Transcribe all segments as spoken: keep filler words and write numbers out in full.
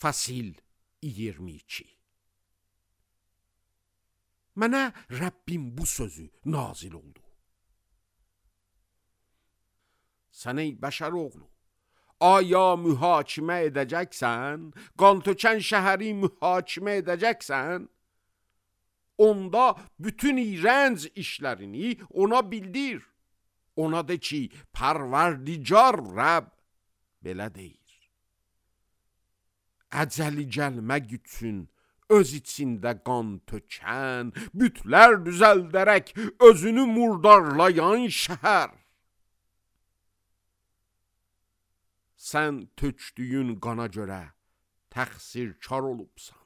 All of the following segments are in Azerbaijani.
Fasil iyirmi iki. Mənə Rəbbim bu sözü nazil oldu. Sən ey bəşər oğlu, aya mühakimə edəcəksən, qan tökən şəhəri mühakimə edəcəksən, onda bütün iğrənc işlərini ona bildir. Ona de ki, Pərverdigar Rəbb belə deyir. Əcəli gəlmək üçün öz içində qan tökən, bütlər düzəldərək özünü murdarlayan şəhər. Sən tökdüyün qana görə təqsirkar olubsan.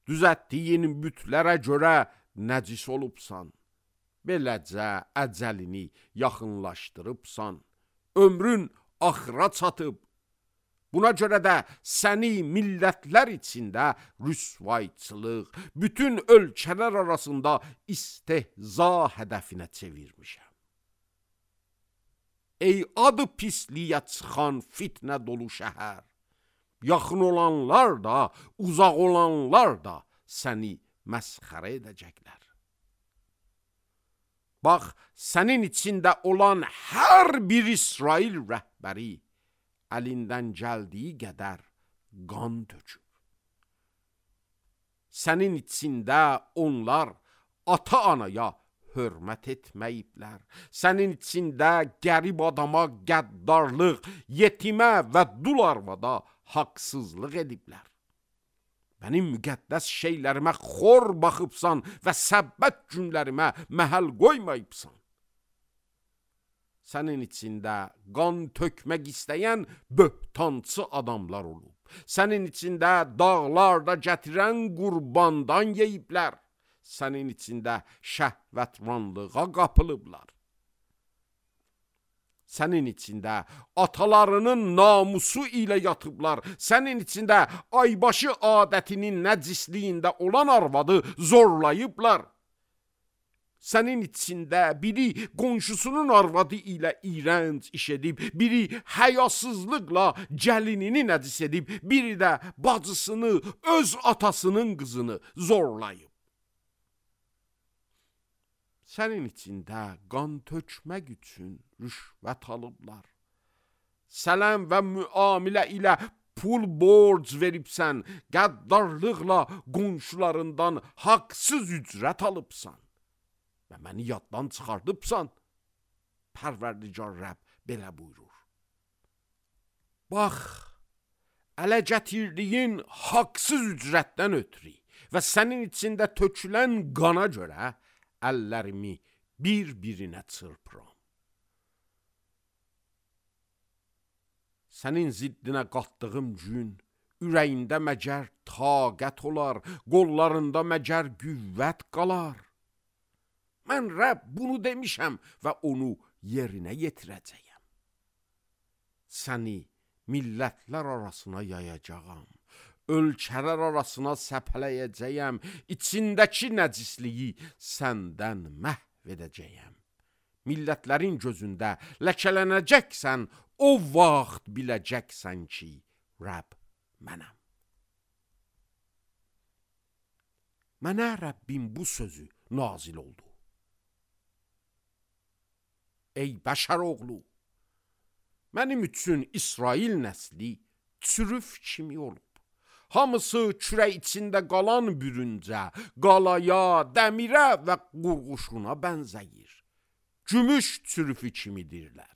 Düzətdiyin bütlərə görə nəcis olubsan. Beləcə əcəlini yaxınlaşdırıbsan. Ömrün axıra çatıb. Buna görə də səni millətlər içində rüsvayçılıq, bütün ölkələr arasında istehza hədəfinə çevirmişəm. Ey adı pisliyə çıxan fitnə dolu şəhər, yaxın olanlar da, uzaq olanlar da səni məsxərə edəcəklər. Bax, sənin içində olan hər bir İsrail rəhbəri əlindən gəldiyi qədər qan töküb. Sənin içində onlar ata-anaya hörmət etməyiblər. Sənin içində qərib adama qəddarlıq, yetimə və dul arvada haqsızlıq ediblər. Mənim müqəddəs şeylərimə xor baxıbsan və səbbət günlərimə məhəl qoymayıbsan. Sənin içində qan tökmək istəyən böhtançı adamlar olub. Sənin içində dağlarda gətirən qurbandan yeyiblər. Sənin içində şəhvətvanlığa qapılıblar. Sənin içində atalarının namusu ilə yatıblar. Sənin içində aybaşı adətinin nəcisliyində olan arvadı zorlayıblar. Sənin içində biri qonşusunun arvadı ilə iğrənc iş edib, biri həyasızlıqla gəlinini nəcis edib, biri də bacısını, öz atasının qızını zorlayıb. Sənin içində qan tökmək üçün rüşvət alıblar. Sələm və müamilə ilə pul borc veribsən, qəddarlıqla qonşularından haqsız ücrət alıbsan. Və məni yaddan çıxardıbsan, Pərverdigar Rəbb belə buyurur. Bax, ələ gətirdiyin haqsız ücrətdən ötürü və sənin içində tökülən qana görə əllərimi bir-birinə çırpıram. Sənin ziddinə qatdığım gün ürəyində məgər taqət olar, qollarında məgər qüvvət qalar. Mən Rəbb bunu demişəm və onu yerinə yetirəcəyəm. Səni millətlər arasına yayacağam, ölkələr arasına səpələyəcəyəm, içindəki nəcisliyi səndən məhv edəcəyəm. Millətlərin gözündə ləkələnəcəksən, o vaxt biləcəksən ki, Rəbb mənəm. Mənə Rəbbim bu sözü nazil oldu. Ey bəşər oğlu, mənim üçün İsrail nəsli çürüf kimi olub. Hamısı kürək içində qalan bürüncə, qalaya, dəmirə və qurğuşuna bənzəyir. Gümüş çürüfü kimidirlər.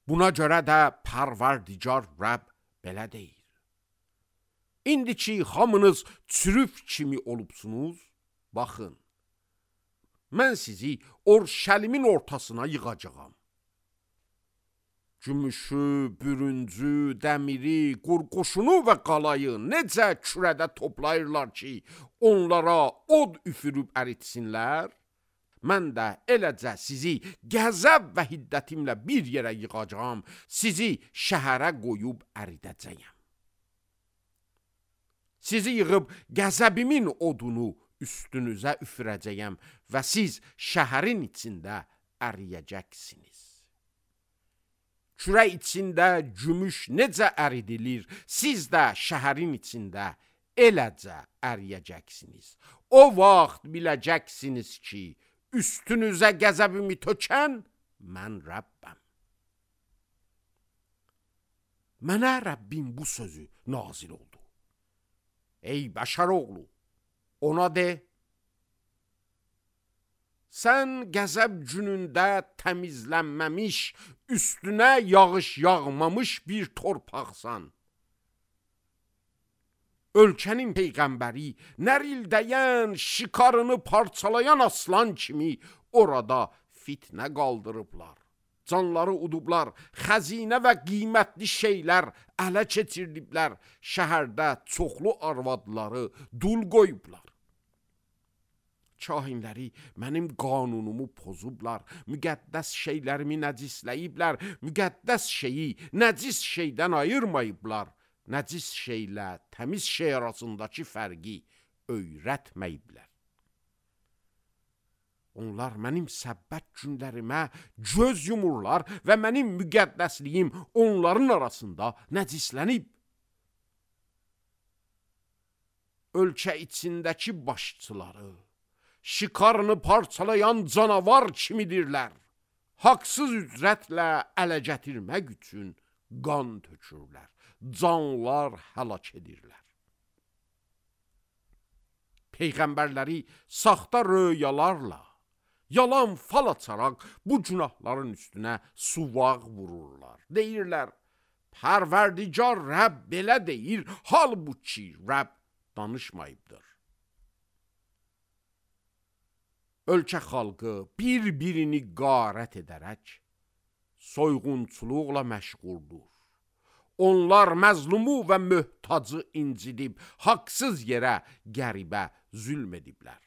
Buna görə də Pərverdigar Rəbb belə deyir. İndi ki, hamınız çürüf kimi olubsunuz, baxın. Mən sizi Orşəlimin ortasına yığacağam. Gümüşü, bürüncü, dəmiri, qurquşunu və qalayı necə kürədə toplayırlar ki, onlara od üfürüb əritsinlər, mən də eləcə sizi qəzəb və hiddətimlə bir yerə yığacağam, sizi şəhərə qoyub əridəcəyəm. Sizi yığıb qəzəbimin odunu üstünüzə üfürəcəyəm və siz şəhərin içində əriyəcəksiniz. Kürə içində gümüş necə əridilir, siz də şəhərin içində eləcə əriyəcəksiniz. O vaxt biləcəksiniz ki, üstünüzə qəzəbimi tökən mən Rəbbəm. Mənə Rəbbim bu sözü nazil oldu. Ey bəşər oğlu, ona de, sən qəzəb günündə təmizlənməmiş, üstünə yağış yağmamış bir torpaqsan. Ölkənin peyğəmbəri, nərildəyən, şikarını parçalayan aslan kimi orada fitnə qaldırıblar. Canları udublar, xəzinə və qiymətli şeylər ələ keçirdiblər, şəhərdə çoxlu arvadları dul qoyublar. Kahinləri mənim qanunumu pozublar, müqəddəs şeylərimi nəcisləyiblər, müqəddəs şeyi nəcis şeydən ayırmayıblar, nəcis şeylə təmiz şey arasındakı fərqi öyrətməyiblər. Onlar mənim səbbət günlərimə göz yumurlar və mənim müqəddəsliyim onların arasında nəcislənib. Ölkə içindəki başçıları şikarını parçalayan canavar kimidirlər. Haqsız ücrətlə ələ gətirmək üçün qan tökürlər, canlar həlak edirlər. Peyğəmbərləri saxta röyalarla, yalan fal açaraq bu günahların üstünə suvaq vururlar. Deyirlər, Pərverdigar Rəbb belə deyir, halbuki Rəbb danışmayıbdır. Ölkə xalqı bir-birini qarət edərək soyğunçuluqla məşğuldur. Onlar məzlumu və möhtacı incidib, haqsız yerə qəribə zülm ediblər.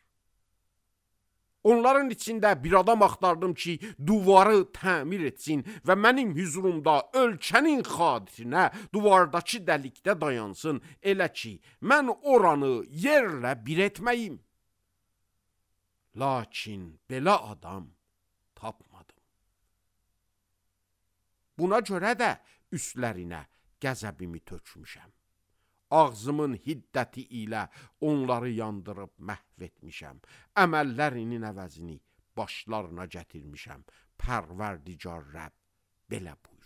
Onların içində bir adam axtardım ki, duvarı təmir etsin və mənim hüzurumda ölkənin xatirinə duvardakı dəlikdə dayansın, elə ki, mən oranı yerlə bir etməyim. Lakin belə adam tapmadım. Buna görə də üstlərinə qəzəbimi tökmüşəm. Ağzımın hiddəti ilə onları yandırıb məhv etmişəm. Əməllərinin əvəzini başlarına gətirmişəm. Pərverdigar Rəbb belə buyurur.